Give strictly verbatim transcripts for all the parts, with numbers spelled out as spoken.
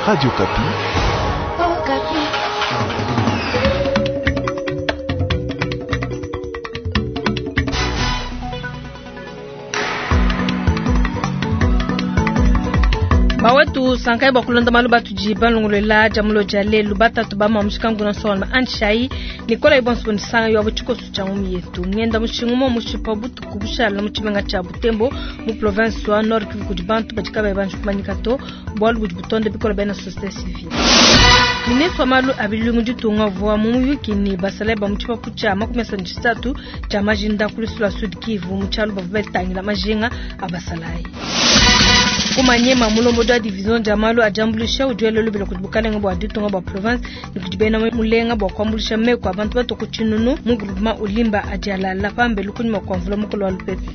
Radio Okapi. Oh, Okapi. Bawetu sankai bua kulonda malu batudi balongolola dia mulo dia lelu batatu ba mamushikangu na nsonga anshai Nicolas Ibonso nsanga yo tshikoso tshia ngumi yetu ngenda mushingu mo mushipa butuku bushala mu tshimenga tshia Butembo mu province wa Nord Kivu kudi bantu badi kabayi banji kumanyika to bualu budi butonda bikola bena société civile. Ministre wa malu a bilungu ditunga uvua mu muyuki ne basalayi ba mu tshipapu tshia makumi asanu ne tshisatu tshia majinda ku lusu lua Sud Kivu mu tshialu bavua batangila majinga a basalayi. Kumanyema mulombodi wa division dia malu a diambuluisha udi wela lubila kudi bukalenge bua ditunga bua province ne kudi bena mulenga bua kuambuluisha meku a bantu bato ku tshinunu mu groupement Olimba adi alala pambelu kunyima kua mvula mukolo wa lupepe.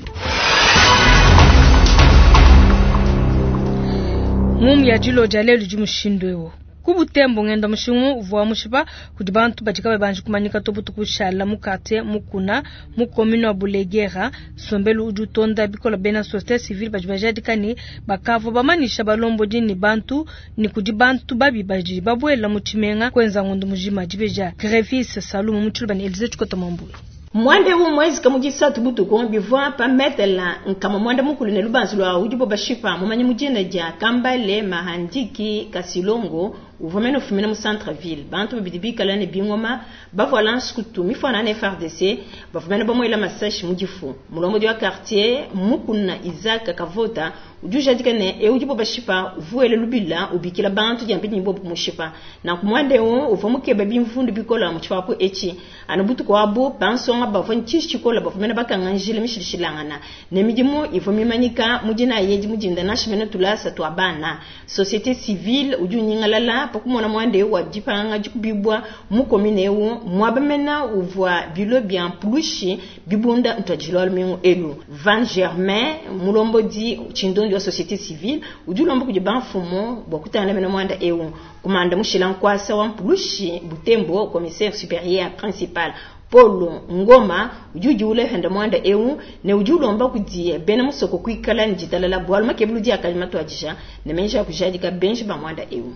Ngumu ya dilo dia lelu di mushindu eu. Ku Butembo ngenda mushingu uvua mushipa kudi bantu badi kabayi banji kumanyika to butuku bushala mu quartier Mukuna mu commune wa Bulegera. Nsombelu udi utonda bikola bena société civile badi bajadika ne bakavua bamanyisha balombodi ne bantu ne kudi bantu babi badi babuela mu tshimenga kuenza ngondo mujima. Dibeja Grevis Salumu mu tshiluba ne Elise Tshikota Mwambulu. Mwande wu mwezi kamu jisatu butuku bivua pa metela nkama mwanda mukulu ne lubanzu lwa udibo bashipa mumanyi mujina dia Kambale Mahandiki Kasilongo uvua mene ufumina mu centre ville. Bantu babidi bikala ne bingoma bavua lansukutu mifwana na F R D C bavua mene bamuela masashi mu difu. Mulombodi wa quartier Mukuna Isaac Kavota udi ujadika ne e udibo bashipa uvuele lubila ubikila bantu dia mpidi bobu mushipa. Na kumwande wu uvua mukeba bimvundu bikola mu tshipapu etshi. Anu butuku abu bansonga bavua ntshishi tshikola bavua mene bakanga njila mishilishilangana ne midimu ivua mimanyika mudina yeji mudinda nashi mene tulasa tua bana. Société civile udi unyingalala pakumona mwande wa dipanga dikubibwa mu commune eu mwaba mena uvua bilo bia mpulushi bibunda ntwajilwa lumingu elu. Van Germain mulombodi tshindondi wa société civile udi ulomba kudi bamfumu bua kutangila mena mwanda eu. Kumanda mushila nkwasa wa mpulushi Butembo commissaire supérieur principal Paulo Ngoma udi udiula henda mwanda eu ne udi ulomba kudi bena musoko kuikala ne ditalala bualu makebulu di akali matuadija ne menja kujadika benji ba mwanda eu.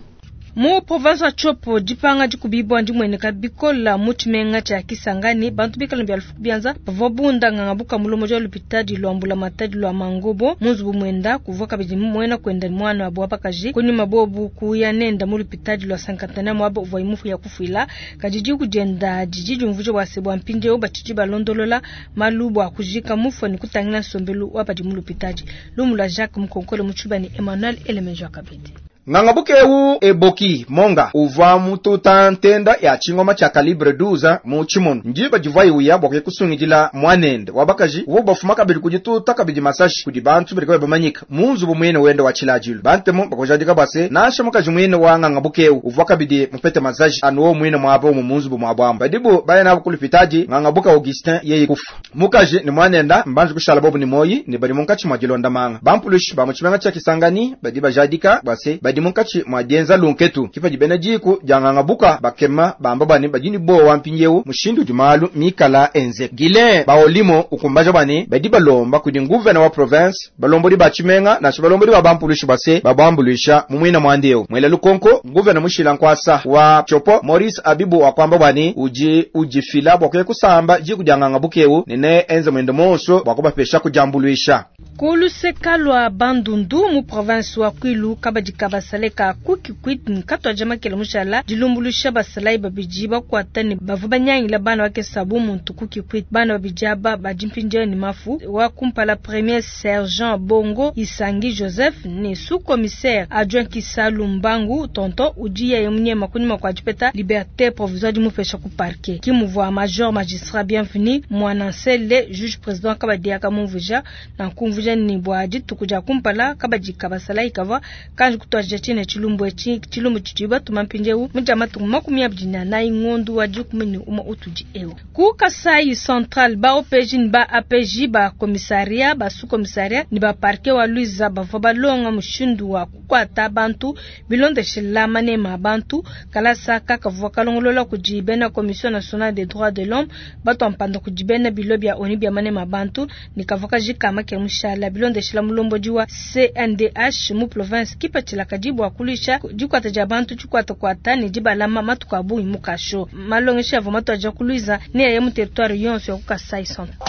Mu province wa Tshopo dipanga dikubibwa ndimweneka bikola mu tshimenga tshia Kisangani bantu bikala bya lufuku bianza bavua bunda nganga buka mulomo jwa lupitadi lwa mbula matadi lwa Mangobo mu nzubu mwenda kuvua kabidi mwena kwenda mwana wa bwapakaji kunyuma bobu kuya nenda mu lupitadi lwa Sankantana mwabo uvua imufu ya kufuila kadidi kujenda didi jumvuje bwa sebwa mpindeo batshidi balondolola malu bwa kujika mufo ni kutangila nsombelu wa badi mu lupitadi. Lumu lwa Jacques Mukonkole mu Tshibani Emmanuel Elemenjo Kabidi. Ngangabuke eu eboki monga uvua mututa ntenda ya chingoma cha calibre douze mu chimono njiba jivwa uya bwa kusungidila mwanende wabakaji uwo bafuma kabili kujituta kabidi masashi kudi bantu bali bamanyika munzu bumwene wende wa chilajilu bantemo bakojadika base nasha mukaji mwene wa ngangabuke eu uvua kabidi mupete masashi anuwo mwene mwabo mu munzu bumwabwamba badibu bayana kulipitaji ngangabuka Augustin yeye kufa mukaji ni mwanenda mbanju kushala bobu ni moyi ni bali munkachi mwa jilonda manga bampulushi ba mu chimenga cha Kisangani badi bajadika base badi munkachi mwa dienza lunketu kipa jibena jiku jangangabuka bakema bamba bani bajini bo wampinyewu mushindu jumalu mikala enze gile baolimo ukumbaja bani badi balomba kudi nguvena wa province balombodi ba chimenga na balombodi ba bampulushi base babambulisha mumwina mwandeo mwela lukonko nguvena mushila nkwasa wa Tshopo Maurice Abibu wa kwamba bani uji ujifila bwa kusamba jiku jangangabukewu nene enze mwendo monso bwa kubapesha kujambuluisha. Kuluseka lwa Bandundu mu province wa Kwilu kabadi kabasaleka kuki kwit nkatwa jamakela mushala dilumbulusha basalai babiji bakwata ne bavu banyangila bana bakesa bu muntu kuki kwit bana babiji aba badimpindia ni mafu wa kumpala premier sergent Bongo Isangi Joseph ne sous commissaire adjoint Kisalu Mbangu tonton udiya yemunyema kunyuma kwa jipeta liberté provisoire di mupesha ku parquet kimuvwa major magistrat bienvenu mwanansele juge président kabadi akamumvuja na kumvuja ni bwa dituku dia kumpala kabadi kabasala ikava kanji kutwaja chine chilumbu echi chilumbu chichiba tumampinjeu muja matuku makumi abidi na nayi ngondu wa dikumi ni uma utudi eu ku Kasai Central ba O P J ni ba A P J ba commissariat ba sous commissariat ni ba parquet wa Luiza bavua balonga mushindu wa kukwata bantu bilondeshela manema bantu kalasa kakavua kalongolola kudi bena Commission nationale des droits de l'homme bato mpanda kudi bena bilo bya ONU bya manema bantu ni kavua kajika make mushala bilondeshela mulombodi wa C N D H mu province kipatshila kadi bua kuluisha dikwata dia bantu tshikwata kwata ne dibalama matuku a bungi mu kasho. Malongesha avua matuadija ku Luiza ne aya mu territoire yonso ya ku Kasai Central.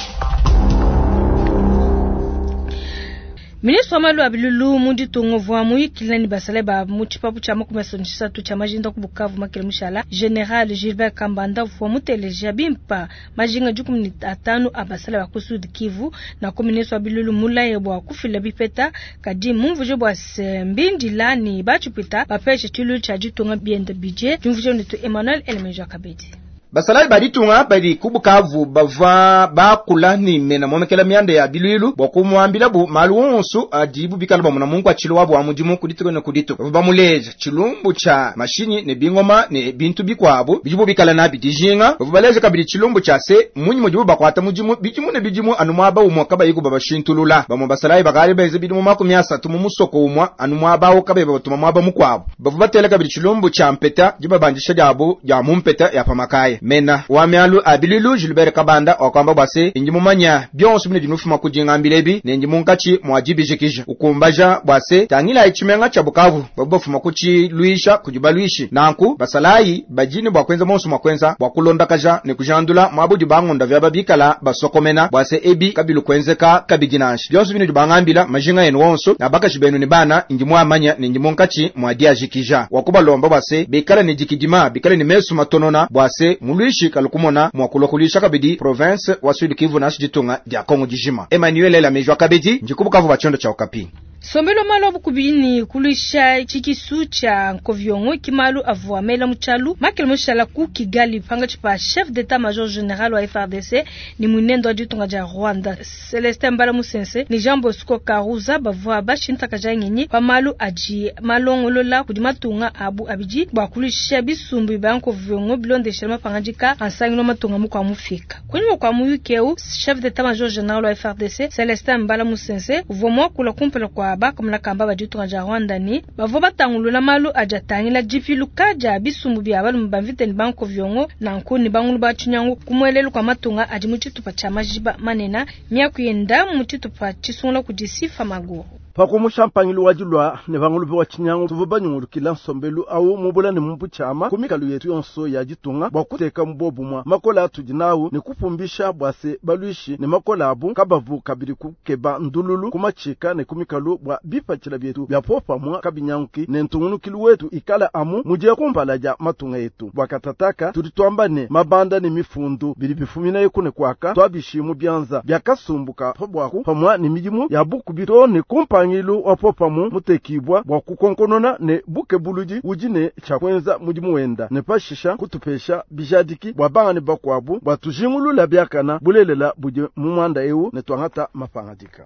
Ministre wa malu a bilulu mu ditunga uvua muyikile ne basalayi ba mu tshipapu tshia makumi asatu ne tshisatu tshia majinda ku Bukavu makele mushala. General Gilbert Kambanda uvua muteleja bimpa majinga dikumi ne atanu a basalayi ba ku Sud Kivu. Na ku ministre wa bilulu mulaye bua kufila bipeta kadi mumvuje bua se mbindila ne batshipita bapeshe tshilu tshia ditunga bienda bidie. Diumvuje netu Emmanuel Elemeja Kabedi. Basalayi ba ditunga badi ku Bukavu bavua bakula ni mena momekela mianda ya bilwilu bua kumuambila bu malu wonso adibu bikala bamuna mungu achilo wabo wa mudimu kudituka ne kudituka. Bavua bamuleja tshilumbu tshia mashinyi ne bingoma ne bintu bikuabu bidibu bikala nabi dijinga. Bavua baleja kabidi tshilumbu tshia se munyi mudibu bakwata mudimu bidimu ne bidimu anu muaba umwe kabayi kubabashintulula. Bamwe basalayi bakali benze bidimu makumi asatu mu musoko umwe anu muaba awo kabayi babatuma muaba mukuabu. Bavua batela kabidi tshilumbu tshia mpeta dibabandisha diabu dia mu mpeta ya pamakaya. Mena wa mialu abililu Gilbert Kabanda wakwamba bwase indi mumanya byonso bine dinufuma kudingambile ebi ne ndi munkatshi mwa dibijikija ukumbaja bwase tangila ichimenga cha Bukavu babafuma kuchiluisha kujibalwishi nanku basalayi bajini bwa kwenza monso mwa kwenza bwa kulondakaja ne kujandula mwabudi bangonda vya babikala basokomena bwase ebi kabilu kwenzeka kabidinanshi byonso bine dibangambila majinga yenu wonso na bakashi benu ni bana indi mwamanya ne ndi munkatshi mwa diajikija wakubalomba bwase bikala ne dikidima bikala ne mesu matonona bwase muluishi kalukumona mwakulokulisha kabidi province wa Sud Kivu na ditunga dia Kongo dijima. Emmanuel Elamejwa Kabedi ndikubukavu bachondo cha Okapi. Sombelo malo bukubini kulisha chikisu cha nkoviongo kimalu avua mela muchalu makele mushala ku Kigali panga chipa chef d'état-major général wa F R D C ni munendo wa ditunga dia Rwanda Celestin Mbala Musense ni Jean Bosco Karuza bavua bashinta kajangenyi pa malu aji malongolola kudi matunga abu abiji bwa kulisha bisumbu ba nkoviongo bilondeshela mapangajika ansangino matunga mukwa mufika kunyuma kwa muyukeu chef d'état-major général wa F R D C Celestin Mbala Musense uvua mwakula kumpela kwa bakamula kamba baditunga ja Rwanda ni bavua batangulula malu ajatangila dipiluka dia bisumbu bya balume bamvite ni banko vyongo na nkuni bangulu bachinyangu kumwelelu kwa matunga adi mu tshitupa tshia majiba manena myakuyenda mu tshitupa tshisungula kudisifa maguru. Pakumusha mpangilu wa dilwa ne bangulu wa chinyangu tuvu banyungulukila nsombelu awu mubula ne mumpuchama kumikalu yetu yonso ya ditunga bwa kuteka mbobumwa makola atudi nawu ne kupumbisha bwase balwishi ne makola abu kabavu kabiri kukeba ndululu kumachika ne kumikalu bwa bipatshila byetu bya popamwa kabinyanguki ne ntungunukilu wetu ikala amu mudiye kumpala ja matunga yetu bwa katataka tudi twamba ne mabanda ne mifundu bili bifumina yekune kwaka twabishimu byanza byakasumbuka pabwaku pamwa ne midimu ya bukubito ne kumpangi ilu wapopamu mutekibwa bwa kukonkonona ne buke buludi udi ne tshakwenza mudimu wenda ne pashisha kutupesha bijadiki bwa banga ne bakwabu bwa tujingulula byakana bulelela budi mu mwanda ewu ne twangata mapangadika.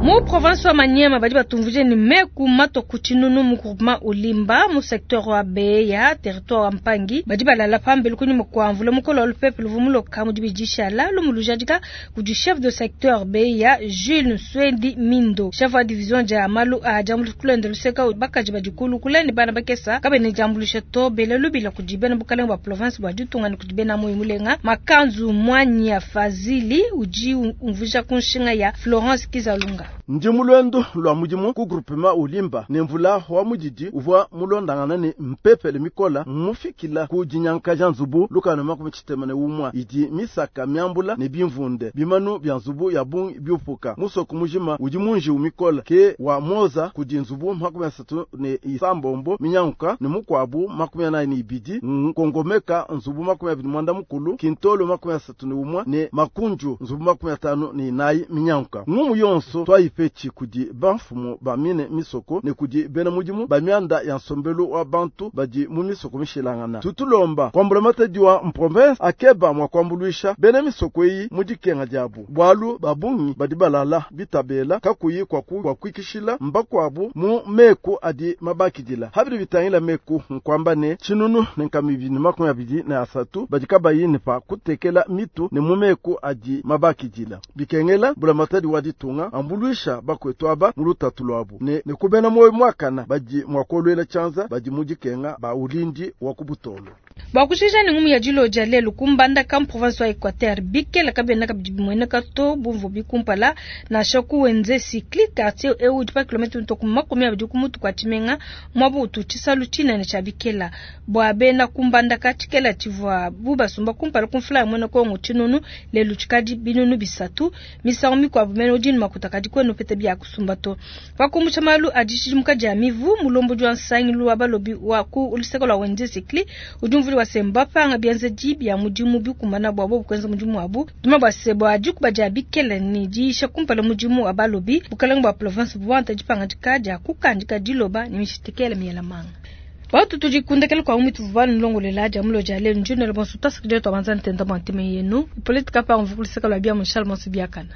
Mu province wa Maniema badi batumvuje ni meku mato kuchinunu mu groupement Olimba mu secteur wa Beya territoire wa Mpangi badi balala pambele kunyuma kwa mvula mukolo wa lupepe luvumulo kamu dibijisha lumulujadika kudi chef de secteur Beya Jules Nswendi Mindo chef wa division ja malu a jambulu kulende luseka bakaji badikulu kuleni bana bakesa kabene jambulisha to bele lubila kudibena bukalenga bwa province bwa ditunga ni kudibena moyo mulenga makanzu mwanya Fazili uji umvuja kunshinga ya Florence Kizalunga. Ndi mulwendo lwa mudimu ku groupement Olimba ne mvula wa mudidi uvua mulondangana ne mpepele mikola mufikila ku dinyanka ja nzubu lukano makumi tshitema ne umwa idi misaka miambula ne bimvunde bimanu bya nzubu ya bungi biupuka musoko mujima udi munji umikola ke wa moza kudi nzubu makumi asatu ne isambombo minyanka ne mukwabu makumi anayi ne ibidi nkongomeka nzubu makumi abidi mwanda mukulu kintolo makumi asatu ne umwa ne makunju nzubu makumi atanu ne inayi minyanka ngumu yonso twayipechi kudi banfumu bamine misoko ne kudi bena mudimu bamianda ya nsombelu wa bantu badi mu misoko mishilangana tutulomba kwambula matadi wa mprovince akeba mwa kwambuluisha bena misoko eyi mu dikenga diabu bwalu babungi badi balala bitabela kakuyi kwa kwa kwikishila mbakwabu mu meku adi mabakidila habiri bitangila meku nkwamba ne chinunu ne nkamibi ne makumi abidi ne asatu badi kabayi ne pa kutekela mitu ne mu meku adi mabakidila bikengela bula matadi wa ditunga ambuluisha bakwetu aba mu lutatu lwabu ne ne kubena moyo mwakana badi mwakolwela chanza badi mu dikenga ba ulindi wa kubutolo. Bua kushija ne ngumu ya dilo dia lelu ku Mbandaka mu province wa Equateur bikela kabiena kabidi bimueneka to bumvu bikumpala nansha ku Wenze Sikli quartier eu udi pa kilomètre mitue ku makumi abidi ku mutu kua tshimenga muaba utu tshisalu tshinene tshia bikela. Bua bena ku Mbandaka tshikela tshivua bu basumba kumpala ku mfula ya muena Kongo tshinunu lelu tshikadi binunu bisatu misangu mikuabu mene udi ne makuta kadi kuena upeta bia kusumba to. Pa kumbusha malu a dishidimuka dia mivu mulombodi wa nsangilu wa balobi wa ku luseke lua Wenze Sikli udi umvula wa se mbapanga bienzedi bia mudimu bikumana bua bobu kuenza mudimu wabu tuma bua se bua dikuba dia bikela ne diisha kumpala mudimu wa balobi bukalenge bua province buwanta dipangadika dia kukandika diloba ne mishitikela miela manga. Watu tudikundekela kwa umitu vuvanu nlongolela dia mulo dia lelu njinela bonso tasakidila twabanza ntenda mwa ntime yenu politika pa mvukuliseka lwa bia munshala monso biakana.